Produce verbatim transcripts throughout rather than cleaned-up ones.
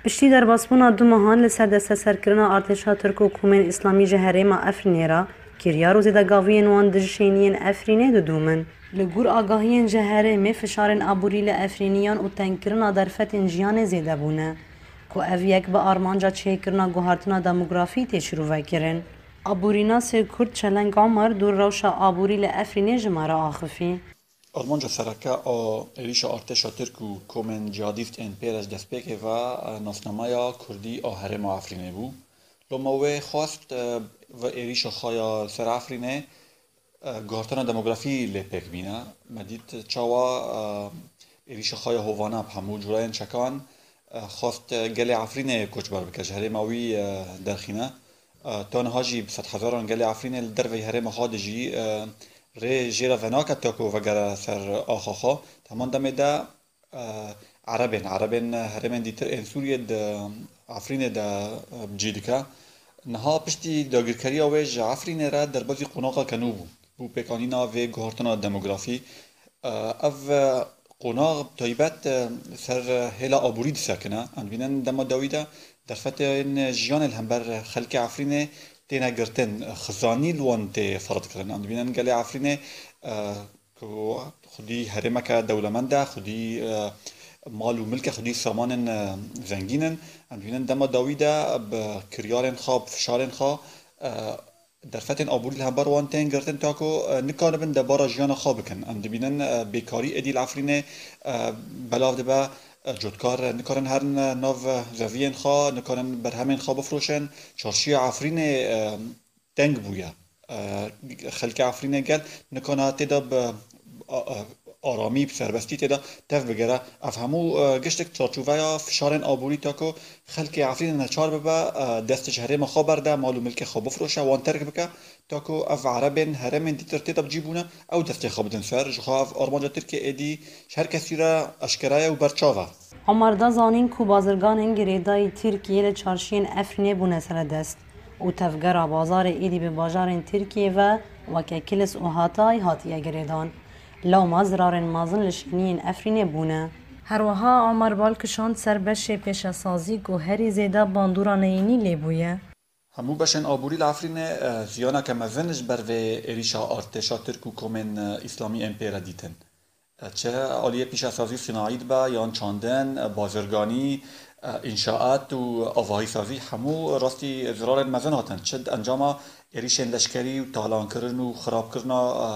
Piştî derbasbûna du mehan li ser desteserkirina artêşa Tirk û komên Îslamî ji herêma Efrînê re, kiryar û zêdegaviyên wan dijî şêniyên Efrînê didûmin. Li gor agahiyên ji herêmê, fişarên aborî li Efrîniyan û tengkirina derfetên jiyanê zêde bûne, ku ev yek bi armanca çêkirina guhartina demografî tê şîrovekirin. Aborînasê Kurd Çeleng Omer dûr rewşa aborî li Efrînê ji me re axifî. Armanca sereke a êrîşa artêşa Tirk û komên cihadîst ên pê re ji destpêkê ve, e, nasnameya kurdî a herêma Efrînê bû. Loma wê xwest, e, ve êrîşa xwe ya ser Efrînê, e, guhartina demografî lê pêk bîne. Me dît çawa, e, êrîşa xwe ya hovane bi hemû cureyên çekan, e, xwest, e, gelê Efrînê koçber bike, ji herêma wî, e, derxîne. E, ta niha jî bi sedhezaran gelê Efrînê li derveyî herêma xwe dijî, e, rê jê re venake ta ku vegere ser axa xwe. Di heman demê de, e, Erebên, Erebên herêmên dîtir ên Sûriyê di Efrînê de, e, bi cî dike. Niha piştî dagirkeriya wê ji Efrînê re derbazî qonaxeke nû bû. Bû pêkanîna vê guhartina demografî. E, ev, e, qonax bi taybet, e, ser hêla aborî disekine. Em dibînin dema dawî de derfetên jiyanê li hember xelkê Efrînê têne girtin, xizanî li wan tê ferz kirin. Em dibînin gelê Efrînê, e, ku xwedî herêmeke dewlemend e, xwedî, e, mal û milke, xwedî samanên, e, zengîn in. Em dibînin dema dawî de bi kiryarên xwe, bi fişarên xwe, e, derfetên aborî li hember wan tên girtin, ta ku, e, nikaribin debara jiyana xwe bikin. Em dibînin, e, bêkarî êdî li Efrînê, e, belav dibe, e, cotkar, e, nikarin herin, e, nav, e, zeviyên xwe, nikarin berhemên xwe bifroşin. Çarşiya Efrînê, e, teng bûye. E, xelkê Efrînê gel nikana tê de bi, a, a, aramî, bi serbestî tê de tev bigere. Ev hemû, e, giştek çarçoveya fişarên aborî, ta ku xelkê Efrînê neçar bibe, e, dest ji herêma xwe berde, mal û milkê xwe bifroşe, wan terk bike, ta ku ev erebên herêmên dîtir tê de bi cî bûne, ew destê xwe bidin ser. Ji xwe ev armanca Tirkiyê êdî ji her kesî re eşkere ye û berçav e. Omar da zanîn ku bazirganên girêdayî Tirkiyê li çarşiyên Efrînê bûne seredest û tevgera bazarê êdî bi bajarên Tirkiyê ve weke Kilis û Hatay hatiye girêdan. Lewma zirarên mezin li şêniyên Efrînê bûne. Her wiha Omar bal kişand ser beşê pêşesazî ku herî zêde bandora neyînî lê bûye. Hemû beşên aborî li Efrînê, e, ziyaneke mezin ji ber vê êrîşa artêşa Tirk û komên, e, Îslamî ên pê re dîtin. E, çi aliyê pîşesazî sînayî dibe, yan çandin, e, bazirganî, e, înşaat û avahîsazî, hemû rastî zirarên mezin hatin. Çi di encama êrîşên leşkerî û talankirin û xirabkirina, e,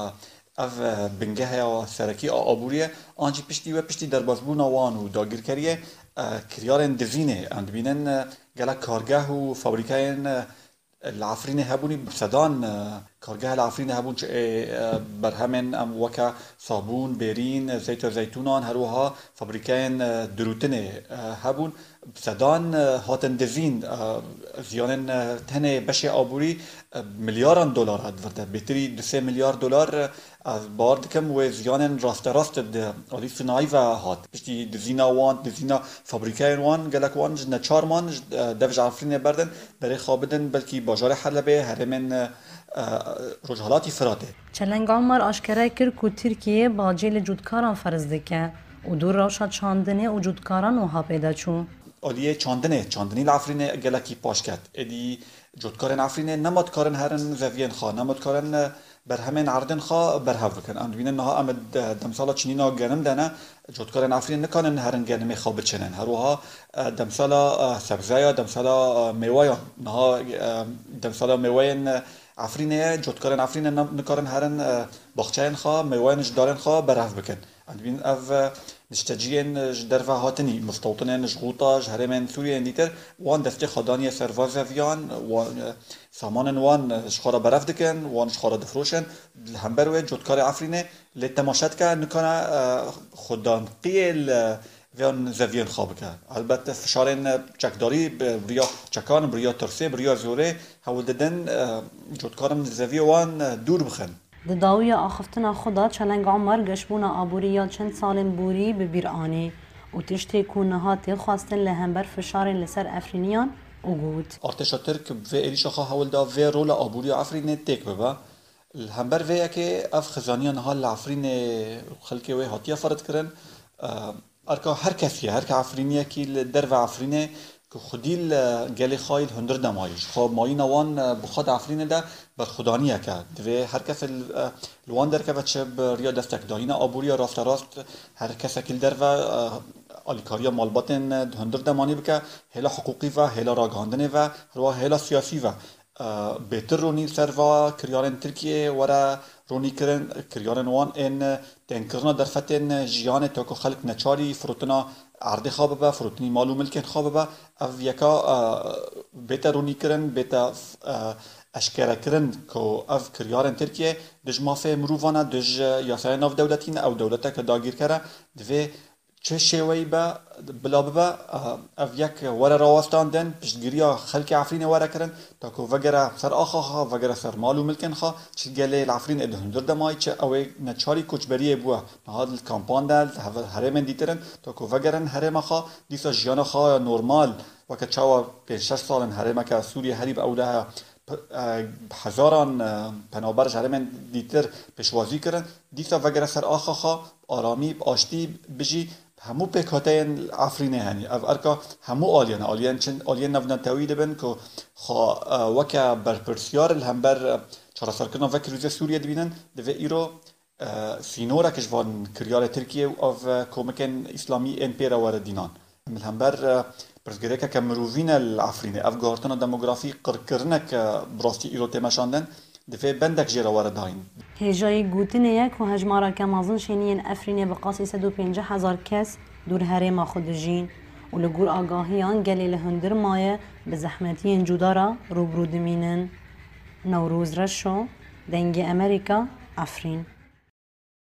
ev, e, bingeha serekî a aboriyê, an jî piştî wê, piştî derbasbûna wan û dagirkeriyê, e, kiryarên dizînê em dibînin, e, gelek kargeh û fabrîkeyên, e, li Efrînê hebûnî, bi sedan, e, kargeh li Efrînê hebûn, çi, e, e, berhemên em weke sabûn, bêrîn, zeyt û zeytûnan, her wiha fabrîkeyên, e, dirûtinê, e, hebûn. Bi sedan, e, hatin dizîn, e, ziyanên, e, tenê beşê aborî, e, milyaran dolar e di vir de. Bêtirî du sê milyar dolar, e, ez bawer dikim wê ziyanên rasterast di alî sinayî ve hat. Piştî dizîna wan, dizîna fabrîkeyên wan, gelek wan ji neçar man, ji, e, dev ji Efrînê berdin, berê xwe bidin, belkî bajarê Helebê, herêmên, e, e, Rojhelatî Firatê. Çeleng Omer aşkere kir ku Tirkiye bacê li cotkaran ferz dike û dû rewşa çandinê û cotkaran wiha pê de çû. Aliyê çandinê, çandinî li Efrînê gelekî paş ket. Êdî cotkarên Efrînê nema dikarin herin zeviyên xwe, nema dikarin, e, berhemên erdên xwe berhev bikin. Em dibînin niha em ê de-, demsala çinîna genim de ne, cotkarên Efrînê nikarin herin genimê xwe biçinin. Her wiha, e, demsala, e, sebzeya, demsala, e, mêweyan. Niha, e, demsala mêweyên, e, Efrînê ye, cotkarên Efrînê ne-, nikarin herin, e, baxçeyên xwe, mêweyên ji darên xwe berhev bikin. Em dibînin ev, e, nişteciyên, e, ji derve hatinî, mistewtinên ji Xûta, ji herêmên Sûriyeyên dîtir, wan destê xwe daniye ser va zeviyan, wan, e, samanên wan, e, ji xwe re berhev dikin, wan ji xwe re difroşin. Li hember wê cotkarê Efrînê lê temaşe dike, nikane, e, xwedanqiyê li vêyan zeviyên xwe bike. Helbet fişarên, e, çekdarî, bi, bi riya çekan, bi riya tirsê, bi riya zorê hewl didin, e, cotkarin li zeviyê wan, e, dûr bixin. Di dawiya axiftina xwe de Çeleng Omer geşbûna aborî ya çend salên borî bi bîr anî û tiştê ku niha tê xwestin li hember fişarên li ser Efrîniyan û got. Artêşa Tirk bi vê êrîşa xwe hewl da vê rola aborî ya Efrînê têk bibe. Li hember vê yekê ev xizaniya niha li Efrînê xelkê wê hatiye ferz kirin. E, Erka her kesî ye, her ke Efrîniyekî li derve Efrînê ku xwedî li gelê xwe yî li hundir de mayî, ji xwe mayîna wan, e, bi xwe di Efrînê de berxwedaniyek e. Divê her kes li, e, li wan derkeve, çi bi riya destekdayîna aboriya rasterast, her kesekî li derve, e, alîkariya malbatên, e, di hundir de manî bike, hêla hiqûqî ve, hêla ragihandinê ve, herwiha hêla siyasî ve. E, bêtir ronî li ser va kiryarên Tirkiyê were ronîkirin, kiryarên wan ên tênkirina derfetên jiyanê, ta ku xelk neçarî firotina erdê xwe bibe, firotinî mal û milkên xwe bibe. Ev yeka, e, bête ronîkirin, bête, e, eşkerekirin ku ev kiryarên Tirkiyê dij mafê mirovan e, dij yasaya navdewletî ne, ew dewleteke dagîrker e. Divê çi şêweyî be, bila bibe, ev yek were rawestandin, piştgiriya xelkê Efrînê were kirin, ta ku vegere ser axa xwe, vegere ser mal û milkên xwe, çi gelê li Efrînê di hundir de mayî, çi ew ê neçarî koçberiyê bûye, niha li kampan de, li heve-, herêmên dîtir in, ta ku vegerin herêma xwe, dîsa jiyana xwe ya normal, weke çawa pênc şeş sal in herêmeke Sûriyê herî bi ewle heye, p-, e, hezaran, e, penaber ji herêmên dîtir pêşwazî kirin, dîsa vegere ser axa xwe, bi aramî, bi aştî bijî, hemû pêkhateyên Efrînê henî. Ev erka hemû aliyên e. Aliyên çi, aliyên navnetewî dibin ku xwe, e, weke berpirsiyar li hember, e, çareserkirina vê krîzê Sûriyê dibînin, divê îro, e, sînorek ji van kiryarê Tirkiyê û ev, e, komikên îslamî ên pê re were dînan. Li hember, e, pirsgirêkeke mirovî ne li Efrînê. Ev guhertina demografî qirkirinek, e, bi rastî îro tê meşandin. Divê bendek jê re were dayîn. Hêjayî gotinê ye ku hejmareke mezin şêniyên Efrînê bi qasî sed û pêncî hezar kes dûr herêma xwe dijîn û li gor agahiyan gelê li hundir maye bi zehmetiyên cuda re rûbirû dimînin. Newroz Reşo, Dengê Emerîka, Efrîn.